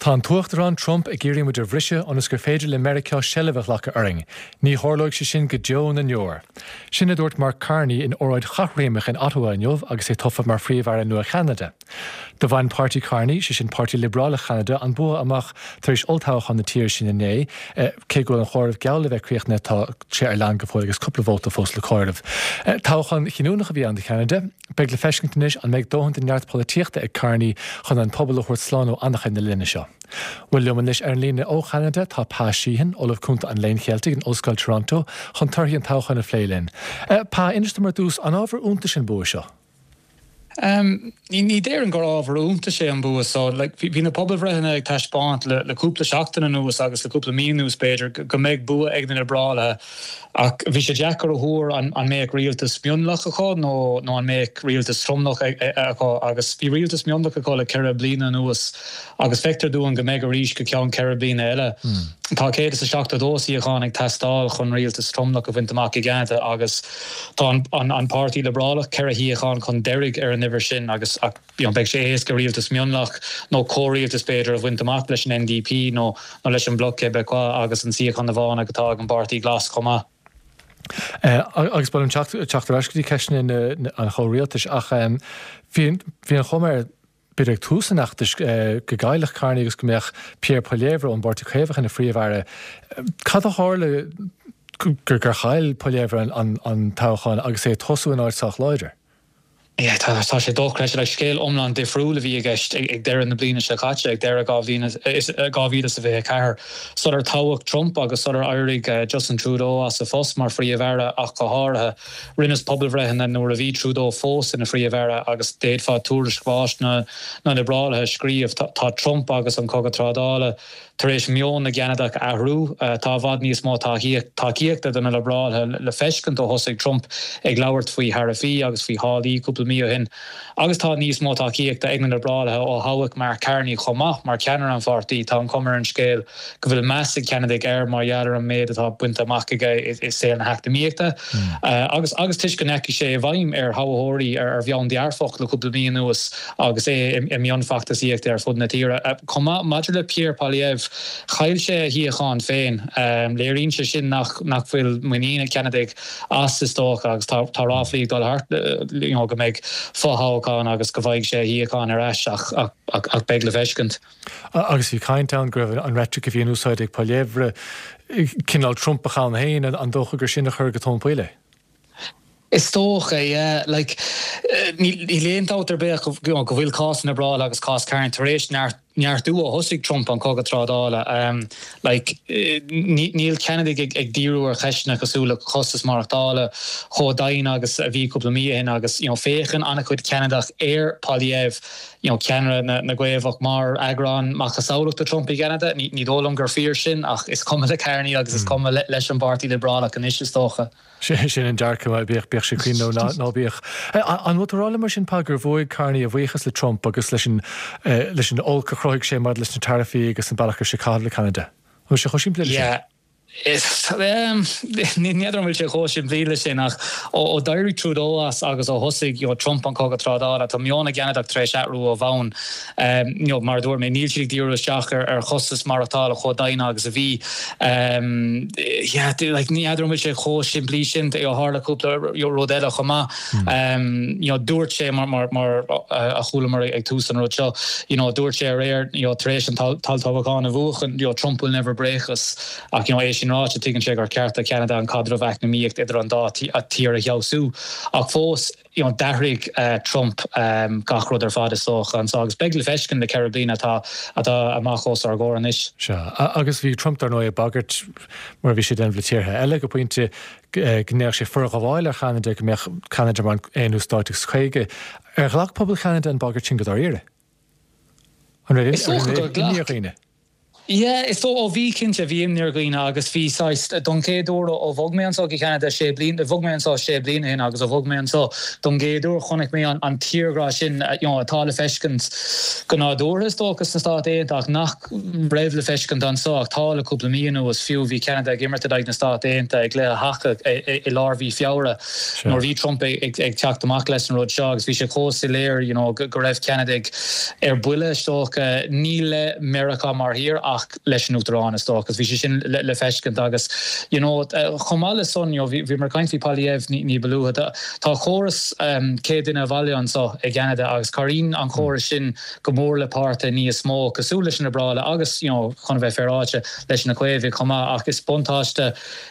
Tá an tUachtarán Trump ag iarraidh muid a bhriseadh ionas gur féidir le Meiriceá seilbh a ghlacadh orainn. Ní tharlóidh sé sin go deo na ndeor. Sin a dúirt Mark Carney in óráid chathréimeach in Ottawa inniu agus é tofa mar Phríomh-Aire nua Cheanada. Do bhain páirtí Carney, sé sin Páirtí Liobrálach Cheanada, an bua amach tar éis olltoghchán na tíre sin inné. Cé go bhfuil an chomhaireamh geall le bheith críochnaithe tá sé ar lean go fóill agus cúpla vóta fós le comhaireamh. Toghchán chinniúnach a bhí ann do Cheanada. Beidh le feiscint anois an mbeidh dóthain de neart polaitíochta ag Carney chun an pobal a thabhairt slán ó anachain na linne seo. Bhuel, liom anois ar an líne ó Cheanada tá Pa Sheehan, Ollamh Cúnta an Léinn Cheiltigh in Ollscoil Toronto, chun torthaí an toghcháin a phlé linn. Pa, inis dom ar dtús, an ábhar iontais an bua seo? Ní déarfainn gur ábhar iontais é an bua so. Bhí na pobalbhreitheanna ag taispeáint le cúpla seachtain anuas agus le cúpla mí anuas, b'fhéidir, go mbeidh bua ag na Liobrálaithe. Ach bhí sé deacair a thuar an mbeadh rialtas mionlach acu nó nó an mbeadh rialtas tromlach acu agus bhí rialtas mionlach acu le ceithre bliana anuas agus feictear dúinn go mbeidh arís go ceann ceithre bliana eile. Tá 172 suíochán ag teastáil chun rialtas tromlach a bhaint amach i gCeanada agus tá an Páirtí Liobrálach ceithre shuíochán chun deiridh ar an uimhir sin agus you know beidh sé éasca rialtas mionlach nó comhrialtas b'fhéidir a bhaint amach leis an NDP nó nó leis an Bloc Québécois agus an suíochán amháin atá ag an bPáirtí Glas chomh maith. Agus ba mhaith liom teacht ar ais go dtí ceisteanna an chomhrialtais ach bhí bhí an chuma air b'fhéidir ag tús an fheachtais go gcaillfeadh Carney agus go mbeadh Pierre Poilievre ón bPáirtí Caomhach ina Phríomh-Aire. Cad a tharla gur gur chaill Poilievre an toghchán agus é ag tosú in áit sách láidir? Yeah, tá, tá sé dochreidte. Like, scéal iomlán difriúil a bhí i gceist ag, ag deireadh na bliana seo caite, ag deireadh 2024, sular toghadh Trump agus sular éirigh Justin Trudeau as a phost mar Phríomh-Aire ach go háirithe. Rinneadh pobalbhreitheanna nuair a bhí Trudeau fós ina Phríomh-Aire agus d'fhéadfá tuairisc bháis na, na Liobrálaithe a scríobh. Tá, tá Trump agus an cogadh trádála Tar éis meon na gCeanadach a athrú, tá i bhfad níos mó tacaíochta do na Liobrálaithe le feiscint ó thosaigh Trump ag labhairt faoi tharaifí agus faoi tháillí cúpla mí ó shin. Agus tá níos mó tacaíochta ag na Liobrálaithe ó thoghadh Mark Carney chomh maith mar cheannaire an pháirtí. Tá an chuma ar an scéal go bhfuil meas ag Ceanadaigh air mar gheall ar an méid atá bainte amach aige i saol na heacnamaíochta agus agus toisc go ndeachaigh sé i bhfeidhm ar thoghthóirí ar mheon dearfach le cúpla mí anuas. agus é i mbun feachtasaíochta ar fud na tíre. Chomh maith, maidir le Pierre Poilievre, chaill sé a shuíochán féin. Léiríonn sé sin nach bhfuil muinín ag Ceanadaigh as, is dócha, agus tá ráflaí ag dul thart go mbeidh fothoghchán agus go bhfaighidh sé a shuíochán ar ais, ach beidh le feiscint. Agus bhí caint ann go raibh an reitric a bhí in úsáid ag Poilievre cineál Trumpach ann féin, an dócha gur sin a chuir go tóin poill é? Is dócha, yeah. Like, níl aon dabht ar bith go bhfuil cás na Liobrálaithe agus cás Carney tar éis neartú ó thosaigh Trump an cogadh trádála. Like, níl Ceanadaigh ag díriú ar cheisteanna cosúil le costas maireachtála chomh dian agus a bhí cúpla mí ó shin agus, you know, féachann an-chuid Ceanadach ar Poilievre, you know, ceannaire na gCaomhach mar eagrán macasamhlach de Trump i gCeanada. Ní dóigh liom gur fíor sin ach is cuma le Carney agus is cuma leis an bPáirtí Liobrálach anois, is dócha. Sin an dearcadh, bíodh sé cruinn nó ná bíodh. An bhfuil tú ag rá liom mar sin, Pa, gur bhuaigh Carney a bhuíochas le Trump agus leis an leis an olc a chruthaigh sé maidir leis na taraifí agus an bealach a raibh sé ag caitheamh le Ceanada? An bhfuil sé chomh simplí leis sin? Yeah. Ní fheadar an bhfuil sé chomh simplí leis sin ach ó d'éirigh Trudeau as agus ó thosaigh you know Trump an cogadh trádála, tá meon na gCeanadach tar éis athrú ó bhonn. You know, mar a dúirt mé, níl siad ag díriú isteach ar chostas maireachtála chomh dian agus a bhí. Yeah, like, ní fheadar an bhfuil sé chomh simplí sin, tharla cúpla rud eile chomh maith. You know, dúirt sé mar mar mar a chualamar ag tús an rud seo, you know, dúirt sé aréir, you know, tar éis an t-olltoghchán a bhuachan, you know, Trump will never break us. Ach, you know, é sin ráite, tuigeann sé gur ceart do Cheanada an caidreamh eacnamaíocht idir an dá tír a fheabhsú. Ach fós, you know, d'athraigh Trump gach rud ar fad is dócha anso agus beidh le feiscint na ceithre bliana atá atá amach os ár gcomhair anois. Sea, agus bhí Trump dar ndóigh ag bagairt, mar a bhí sé ag déanamh le tíortha eile go pointe, go ndéanfadh sé forghabháil ar Cheanada, go mbeadh Ceanada mar an aonú stát agus 50. Ar ghlac pobal Cheanada an bhagairt sin go dáiríre? An raibh Is dócha gur imní ar ghlac. dhaoine? Yeah, is dóigh, ó bhí cinnte, bhí imní ar dhaoine agus bhí saghas, don chéad uair ó bhog mé anseo go Ceanada sé bliana, bhog mé anseo sé bliana ó shin agus ó bhog mé anseo don gcéad uair chonaic mé an tírghrá sin you know atá le feiscint go nádúrtha is dócha sna Stáit Aontaithe ach nach raibh le feiscint anseo ach tá le cúpla mí anuas, fiú bhí Ceanada ag imirt in aghaidh na Stát Aontaithe i gcluiche haca i lár mhí Feabhra nuair a bhí Trump ag teacht amach leis an rud seo agus bhí sé chomh soiléir you know go raibh Ceanadaigh ar buile is dócha, ní le Meiriceá mar thír ach leis an Uachtarán is dócha agus bhí sé sin le feiscint agus you know chomh maith le san you know bhíomar ag caint faoi Poilievre ní ba luaithe tá córas céad duine abhaile anseo i gCeanada agus cabhraíonn an córas sin go mór le páirtithe níos mó cosúil leis na Liobrálaigh agus you know chun a bheith féaráilte leis na Caomhaigh chomh maith ach is buntáiste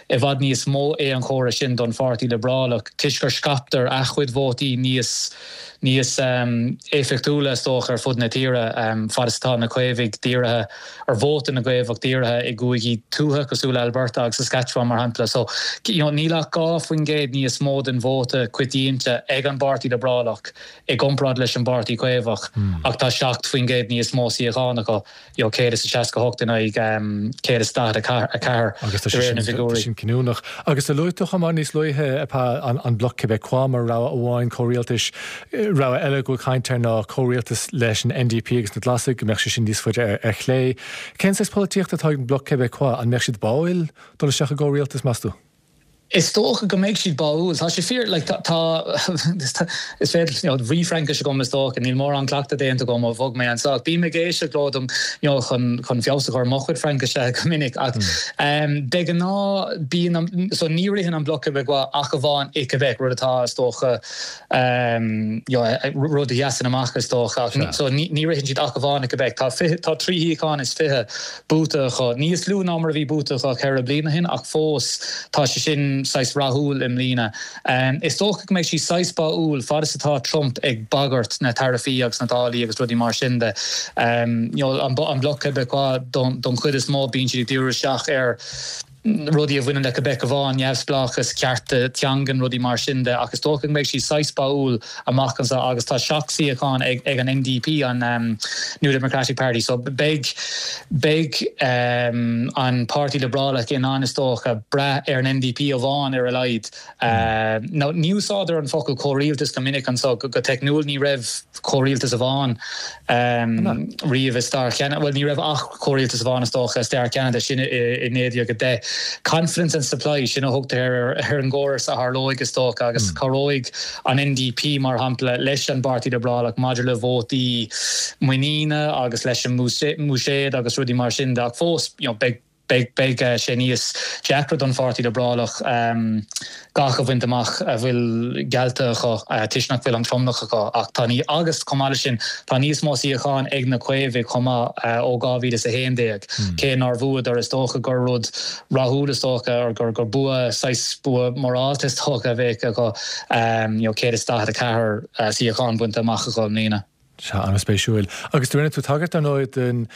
i bhfad níos mó é an chóras sin don Pháirtí Liobrálach toisc gur scaiptear a chuid vótaí níos níos éifeachtúla is dócha ar fud na tíre fad is atá na Caomhaigh dírithe ar vóta na gCaomhach dírithe i gcúigí tuaithe cosúil le Alberta agus Saskatchewan mar shampla. So you know níl ach 2% níos mó den vóta coitianta ag an bPáirtí Liobrálach i gcomparáid leis an bPáirtí Caomhach ach tá 7% níos mó suíochán acu. you know, 168 in aghaidh 144 Agus tá de réir na sin, tá bhfigiúirí. sin cinniúnach. Agus a luaigh tú chomh maith níos luaithe, a an, an Bloc Québécois mar rogha amháin comhrialtais, rogha eile go bhfuil caint air ná comhrialtas leis an NDP agus na Glasaigh, go mbeadh sé sin níos faide ar, ar chlé. Cén saghas polaitíochta atá ag an Bloc Québécois? An mbeadh siad báúil dul isteach i gcomhrialtas, meas tú? Is dócha go mbeidh siad báúil. Tá sé fíor, like, tá, tá, is féidir, you know, bhí Fraincis agam is dócha, níl mórán cleachtadh déanta agam ó bhog mé anseo ach bím ag éisteacht leo dom, you know, chun, chun feabhas a chur ar mo chuid Fraincise go minic ach de ghnáth bíonn an, so ní ritheann an Bloc Québécois ach amháin i Québec, rud atá is dócha, you know, rud a sheasann amach is dócha ach so ní, ní ritheann siad ach amháin i Québec. Tá fiche, tá 3 shuíochán is 20 buaite acu, níos lú ná mar a bhí buaite acu ceithre bliana ó shin ach fós tá sé sin saghas rathúil i mbliana. Is dócha go mbeidh siad saghas báúil fad is atá Trump ag bagairt na taraifí agus na táillí agus rudaí mar sin de. You know, an Bloc Québécois don chuid is mó bíonn siad ag díriú isteach ar rudaí a bhaineann le Quebec amháin, neamhspleáchas, cearta teangan, rudaí mar sin de, ach is dócha go mbeidh siad saghas báúil amach anseo agus tá 7 suíochán ag an NDP, an New Democratic Party, so beidh beidh an Páirtí Liobrálach in ann is dócha brath ar an NDP amháin ar a laghad. Now ní úsáidtear an focal comhrialtas go minic anseo, go teicniúil ní raibh comhrialtas amháin riamh i stair Cheanada, bhuel ní raibh ach comhrialtas amháin is dócha i stair Cheanada, sin i 1910. Confidence and supply, sin a thugtar ar an gcóras a tharlóidh is dócha agus cabhróidh an NDP mar shampla leis an bPáirtí Liobrálach maidir le vótaí muiníne agus leis an mbuiséad agus rudaí mar sin de ach fós you know beidh Beidh sé níos deacra don Pháirtí Liobrálach gach a bhaint amach a bhfuil geallta acu toisc nach bhfuil an tromlach acu ach tá ní agus chomh maith leis sin tá níos mó suíochán ag na Caomhaigh chomh maith ó 2011 cé nár bhuadar is dócha gur rud rathúil is dócha or gur gur bua saghas bua morálta is dócha a bheadh acu you know 144 suíochán bainte amach acu i mbliana. Sea, an-spéisiúil. Agus do rinne tú tagairt, ar ndóigh, den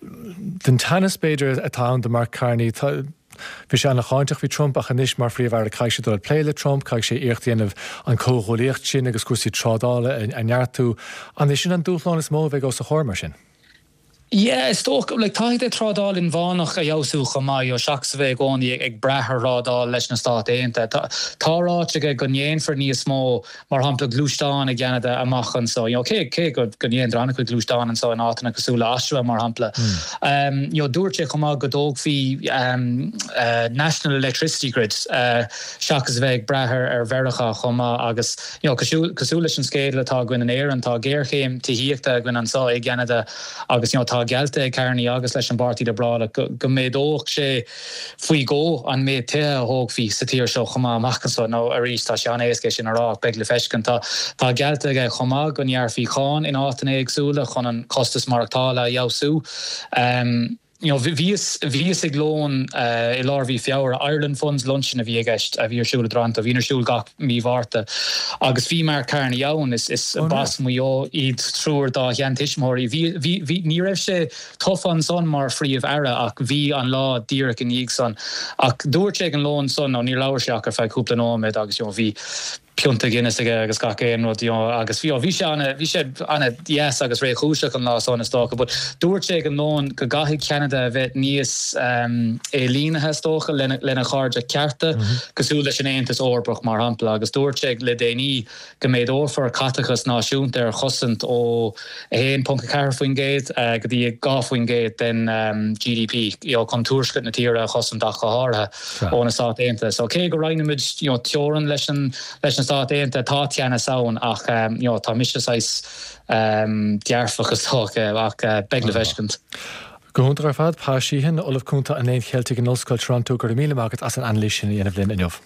den teannas, b'fhéidir, atá ann do Mark Carney. Tá, bhí sé an-cháinteach faoi Trump ach anois mar Phríomh-Aire caithfidh sé dul ag plé le Trump, caithfidh sé iarracht a dhéanamh an comhghuaillíocht sin agus cúrsaí trádála a neartú. An é sin an dúshlán is mó a bheidh os a chomhair mar sin? Yeah, is dócha, like, caithfidh sé trádáil inmheánach a fheabhsú chomh maith, you know, seachas a bheith i gcónaí ag brath ar thrádáil leis na Stáit Aontaithe. Tá, tá ráite aige go ndéanfar níos mó, mar shampla, gluaisteán i gCeanada amach anseo, you know, cé, cé go, go ndéantar an-chuid gluaisteán anseo in áiteanna cosúil le Oshawa, mar shampla. Um, you know, dúirt sé chomh maith go dtógfaí um, uh, National Electricity Grid, uh, seachas a bheith ag brath ar, ar Mheiriceá chomh maith agus, You know, cosúil, cosúil leis an scéal atá againn in Éirinn, tá géarchéim tithíochta againn anseo i gCeanada agus, you know, tá geallta ag Carney agus leis an bPáirtí Liobrálach go, go méadódh sé faoi dhó an méid tithe a thógfaí sa tír seo chomh maith amach anseo. Now, arís, tá sé an-éasca é sin a rá ach beidh le feiscint. Tá, tá geallta aige chomh maith go ngearrfaí cáin in áiteanna éagsúla chun an costas maireachtála a fheabhsú. Um. You know, bhíos, bhíos ag lón i lár mhí Feabhra, Ireland Funds Luncheon a bhí i gceist, a bhí ar siúl i dToronto, a bhíonn ar siúl gach mí Mhárta, agus bhí Mark Carney ann, is, is b'as Maigh Eo iad triúr dá sheantuismitheoirí. Bhí, bhí, bhí, ní raibh sé tofa ansan mar Phríomh-Aire ach bhí an lá díreach i ndiaidh san. Ach dúirt sé ag an lón san, nó níor labhair sé ach ar feadh cúpla nóiméad agus, you know, bhí. pionta Guinness aige agus gach aon rud you know agus bhí bhí sé ana bhí sé ana dheas agus réchúiseach an lá san is dócha but dúirt sé ag an lón go gcaithfidh Ceanada a bheith níos ailínithe is dócha lena lena chairde cearta cosúil leis an Aontas Eorpach mar shampla agus dúirt sé le déanaí go méadófar caiteachas náisiúnta ar chosaint ó 1.4% go dtí 2% den GDP chun tuaisceart na tíre a chosaint ach go háirithe ó na Stáit Aontaithe. So cé go roinnimid teorainn leis leis na Stáit Aontaithe tá teannas ann ach tá mise saghas dearfach is dócha ach beidh le feiscint. Go hiontach ar fad, Pa Sheehan, Ollamh Cúnta an Léinn Cheiltigh in Ollscoil Toronto, go raibh míle maith agat as an anailís sin a dhéanamh linn inniu.